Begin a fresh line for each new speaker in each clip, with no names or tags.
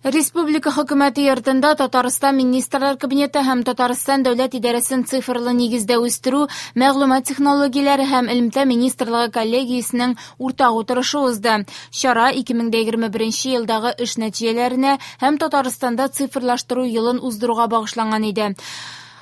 Республика Хөкүмәте йортында Татарстан Министрлар Кабинеты һәм Татарстан дәүләт идарәсен цифрлы нигездә үстерү, мәгълүмат технологияләре һәм элемтә министрлыгы коллегиясенең уртак утырышы узды. Чара 2021 елдагы эш нәтиҗәләренә һәм Татарстанда цифрлаштыру елын уздыруга багышланган иде.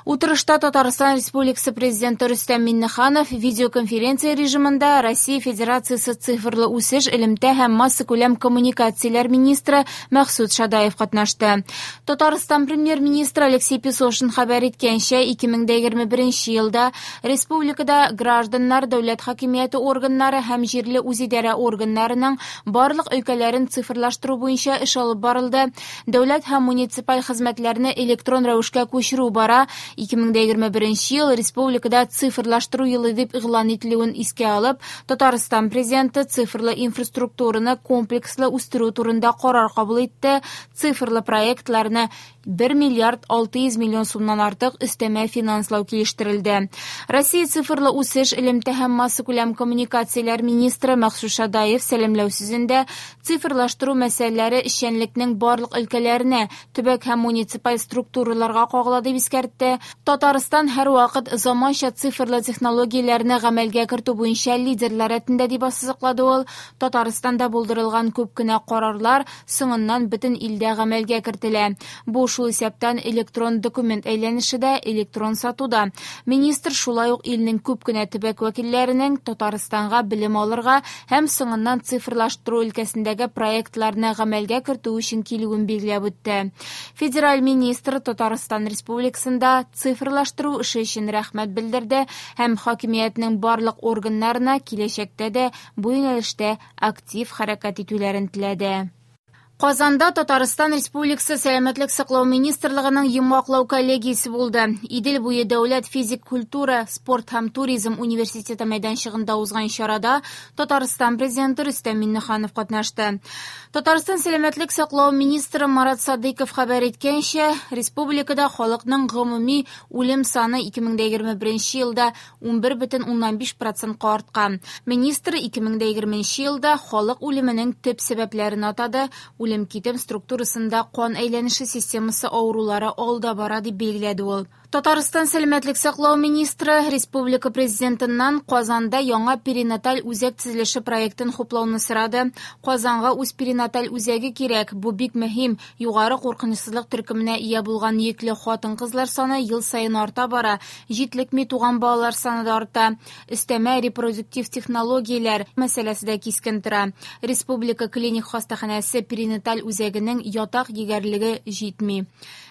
Утырышта Татарстан Республикасы Президенты Рөстәм Миңнеханов видеоконференция режимында Россия Федерациясе цифрлы үсеш, элемтә һәм массакүләм коммуникацияләр министры Мәхсүт Шадаев катнашты. Татарстан премьер-министры Алексей Песошин хәбәр иткәнчә, 2021 елда республикада гражданнар, дәүләт хакимияте органнары һәм җирле үзидарә органнарының барлык өлкәләрен цифрлаштыру буенча эш алып барылды. Дәүләт һәм муниципаль хезмәтләрне электрон рәвешкә күчерү бара. 2021 ел республикада цифрлаштыру елы дип игълан ителүен искә алып, Татарстан президенты цифрлы инфраструктураны комплекслы үстерү турында карар кабул итте. Цифрлы проектларны 1 миллиард 600 миллион сумнан артык өстәмә финанслау килештерелде. Россия цифрлы үсеш, элемтә һәм массакүләм коммуникацияләр министры Мәхсүт Шадаев сәламләү сүзендә цифрлаштыру мәсьәләләре эшчәнлекнең барлык өлкәләренә, төбәк һәм муниципаль структураларга кагыла дип искәртте. Татарстан һәрвакыт заманча цифрлы технологияләрне гамәлгә кертү буенча лидерлар рәтендә дип ассызыклады ул. Татарстанда булдырылган күп кенә карарлар соңыннан бөтен илдә гамәлгә кертелә. Бу шул исәптән электрон документ әйләнеше дә, электрон сату да. Министр шулай ук илнең күп кенә төбәк вәкилләренең Татарстанга белем алырга һәм соңыннан цифрлаштыру өлкәсендәге проектларны гамәлгә кертү өчен килүен билгеләп үтте. Федераль министр Татарстан Республикасында цифрлаштыру эше өчен рәхмәт белдерде һәм хакимиятнең барлык органнарына киләчәктә дә бу юнәлештә актив хәрәкәт итүләрен теләде. Казанда Татарстан Республикасы Сәламәтлек саклау министрлыгының йомгаклау коллегиясе булды. Идел буе дәүләт физик культура, спорт һәм туризм университеты мәйданчыгында узган чарада Татарстан Президенты Рөстәм Миңнеханов катнашты. Татарстан сәламәтлек саклау министры Марат Садыйков хәбәр иткәнчә, республикада халыкның гомуми үлем саны 2021 елда 11,5 процентка арткан. Министр 2020 елда халык үлеменең төп сәбәпләрен атады. Үлем-китем структурасында кан әйләнеше системасы авырулары алда бара, дип билгеләде ул. Татарстан сәламәтлек саклау министры республика президентыннан Казанда яңа перинаталь үзәк төзелеше проектын хуплауны сорады. Казанга үз перинаталь үзәге кирәк, бу бик мөһим. Югары куркынычсызлык төркеменә ия булган йөкле хатын-кызлар саны ел саен арта бара. Җитлекми туган балалар саны да арта. Өстәмә репродуктив технологияләр мәсьәләсе дә кискен тора. Республика клиник хастаханәсе перинаталь үзәгенең ятак егәрлеге җитми.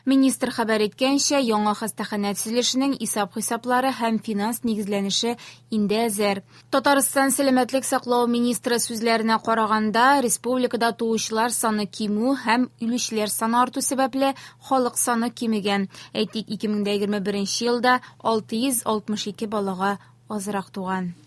Министр хәбәр иткәнчә, яңа хастаханә төзелешенең исәп-хисаплары һәм финанс нигезләнеше инде әзер. Татарстан сәламәтлек саклау министры сүзләренә караганда, республикада туучылар саны кимү һәм үлүчеләр саны арту сәбәпле халык саны кимегән. Әйтик, 2021 елда 662 балага азрак туган.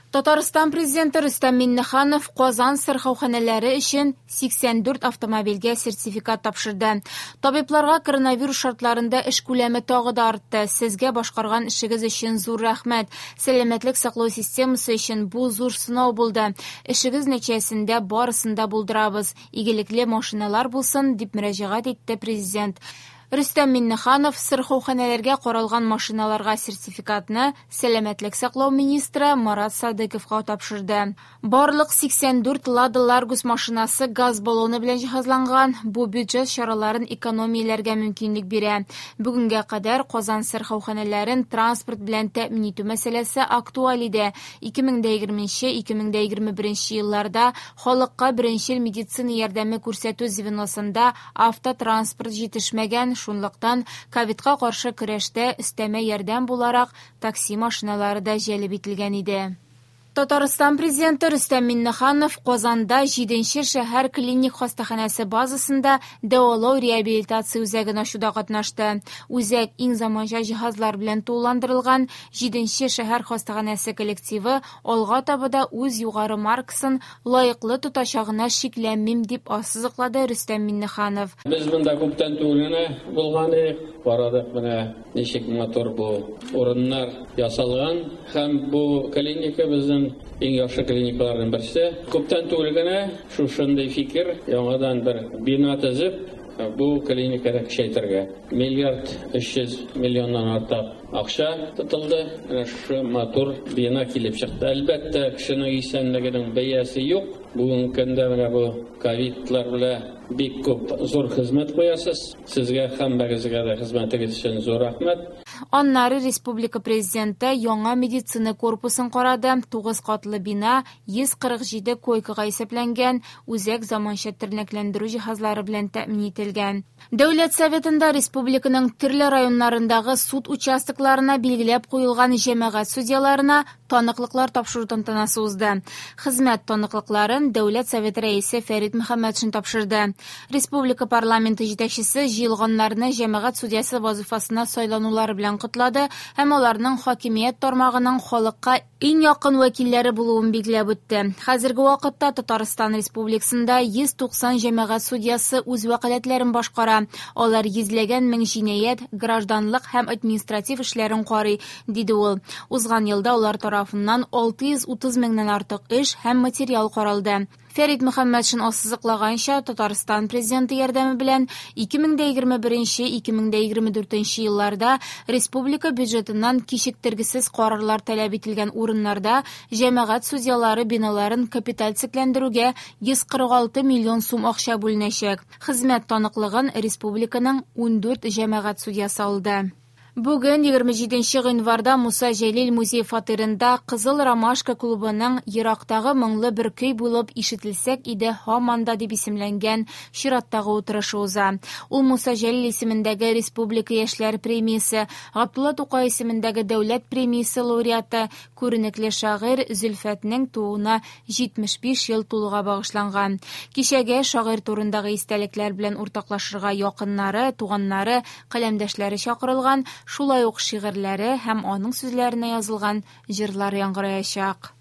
Татарстан президенты Рөстәм Миңнеханов Казан сырхауханәләре өчен 84 автомобильгә сертификат тапшырды. Табибларга коронавирус шартларында эш күләме тагы да артты. Сезгә башкарган эшегез өчен зур рәхмәт. Сәламәтлек саклау системасы өчен бу зур сынау булды. Эшегез нәтиҗәсендә барысын да булдырабыз. Игелекле машиналар булсын, дип мөрәҗәгать итте президент. Рөстәм Миңнеханов сырхауханәләргә каралган машиналарга сертификатны сәламәтлек саклау министры Марат Садыковка тапшырды. Барлык 84 Лада Ларгус машинасы газ баллоны белән җиһазланган. Бу бюджет чараларын экономияләргә мөмкинлек бирә. Бүгенгә кадәр Казан сырхауханәләрен транспорт белән тәэмин итү мәсьәләсе актуаль иде. 2020-2021 елларда халыкка беренчел медицина ярдәме күрсәтү звеносында автотранспорт җитешмәгән, шунлыктан ковидка каршы көрәштә өстәмә ярдәм буларак такси машиналары да җәлеп ителгән иде. Татарстан президенты Рөстәм Миңнеханов Казанда 7нче шәһәр клиник хастаханәсе базасында дәвалау реабилитация үзәген ачуда катнашты. Үзәк иң заманча җиһазлар белән тулыландырылган. 7нче шәһәр хастаханәсе коллективы алга таба да үз югары маркасын лаеклы тотачагына шикләнмим, дип ассызыклады Рөстәм Миңнеханов.
Без монда күптән түгел генә булган идек, карадык менә ничек матур бу урыннар ясалган һәм бу клиника безнең иң яхшы клиникаларның берсе. Күптән түгел генә шушындый фикер, яңадан бер бина төзеп, бу клиниканы көчәйтергә. Миллиард 300 миллионнан артык акча тотылды. Менә шушы матур бина килеп чыкты. Әлбәттә, кешенең исәнлегенең бәясе юк. Бүгенге көндә менә бу ковидлар белән бик күп зур хезмәт куясыз. Сезгә һәммәгезгә дә хезмәтегез өчен зур рәхмәт.
Аннары республика президенты яңа медицина корпусын карады. 9 катлы бина 147 койкага исәпләнгән, үзәк заманча тернәкләндерү җиһазлары белән тәэмин ителгән. Дәүләт Советында республиканың төрле районнарындагы суд участокларына билгеләп куелган җәмәгать судьяларына таныклыклар тапшыру тантанасы узды. Хезмәт таныклыкларын Дәүләт Советы рәисе Фәрит Мөхәммәтшин тапшырды. Республика парламенты җитәкчесе җыелганнарны җәмәгать судьясы вазифасына сайланулары белән котлады һәм аларның хакимият тармагының халыкка иң якын вәкилләре булуын билгеләп үтте. Хәзерге вакытта Татарстан Республикасында 190 җәмәгать судьясы үз вәкаләтләрен башкара. Алар йөзләгән мең җинаять, гражданлык һәм административ эшләрен карый, диде ул. Узган елда алар тарафыннан 630 меңнән артык эш һәм материал каралды. Фәрит Мөхәммәтшин ассызыклаганча, Татарстан президенты ярдәме белән 2021-2024 елларда республика бюджетыннан кичектергесез карарлар таләп ителгән урыннарда җәмәгать судьялары биналарын капиталь төзекләндерүгә 146 миллион сум акча бүленәчәк. Хезмәт таныклыгын республиканың 14 җәмәгать судьясы алды. Бүген 27 гыйнварда Муса Җәлил музей фатирында Кызыл Ромашка клубының Ерактагы моңлы бер көй булып ишетелсәк иде һаман да дип исемләнгән чираттагы утырышы уза. Ул Муса Җәлил исемендәге Республика яшьләр премиясе, Габдулла Тукай исемендәге дәүләт премиясе лауреаты, күренекле шагыйрь Зөлфәтнең тууына 75 ел тулуга багышланган. Кичәгә шагыйрь турындагы истәлекләр белән уртаклашырга якыннары, туганнары, каләмдәшләре чакырылган, шулай ук шигырьләре һәм аның сүзләренә язылган җырлар яңгыраячак.